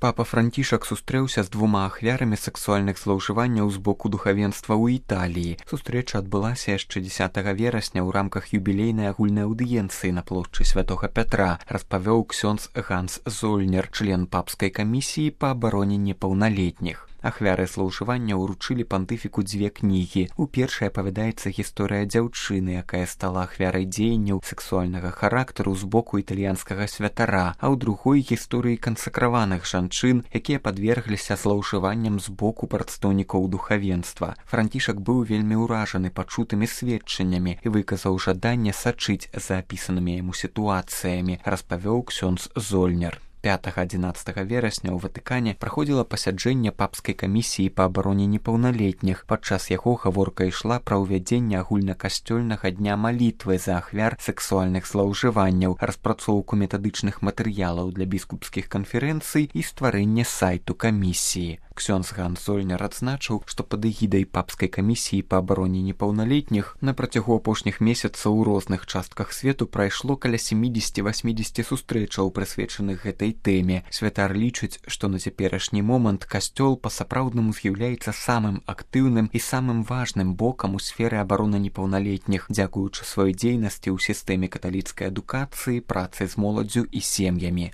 Папа Францішак сустрэўся з двума ахвярамі сексуальных злоўжыванняў з боку духавенства ў Італіі. Сустрэча адбылася яшчэ 10 верасня ў рамках юбілейнай агульнай аўдыенцыі на плошчы Святога Пятра, распавёў ксёндз Ганс Зольнер, член папскай камісіі па абароне непаўналетніх. Ахвяры злоўжывання ўручылі пантыфіку дзве кнігі. У першай апавядаецца гісторыя дзяўчыны, якая стала ахвярай дзеянняў сексуальнага характару з боку італьянскага святара, а ў другой гісторыі кансакраваных жанчын, якія падвергліся злоўжыванням з боку прадстаўнікоў духавенства. Францішак быў вельмі ўражаны пачутымі сведчаннямі і выказаў жаданне сачыць за апісанымі яму сітуацыямі, распавёў ксёндз Зольнер. 5-11 верасня ў Ватыкане праходзіла пасяджэнне папскай камісіі па абароне непаўналетніх. Падчас яго гаворка ішла пра ўвядзенне агульнакасцёльнага дня малітвы за ахвяр сексуальных злоўжыванняў, распрацоўку метадычных матэрыялаў для біскупскіх канферэнцый і стварэнне сайту камісіі. Ксёндз Ганс Зольнер адзначыў, што пад эгідай папскай камісіі па абароне непаўналетніх на працягу апошніх месяцаў у розных частках свету прайшло каля 70-80 сустрэчаў, прысвечаных гэтай тэме. Святар лічыць, што на цяперашні момант касцёл па-сапраўднаму з'яўляецца самым актыўным і самым важным бокам у сферы абароны непаўналетніх, дзякуючы сваёй дзейнасці ў сістэме каталіцкай адукацыі, працы з моладдзю і сем'ямі.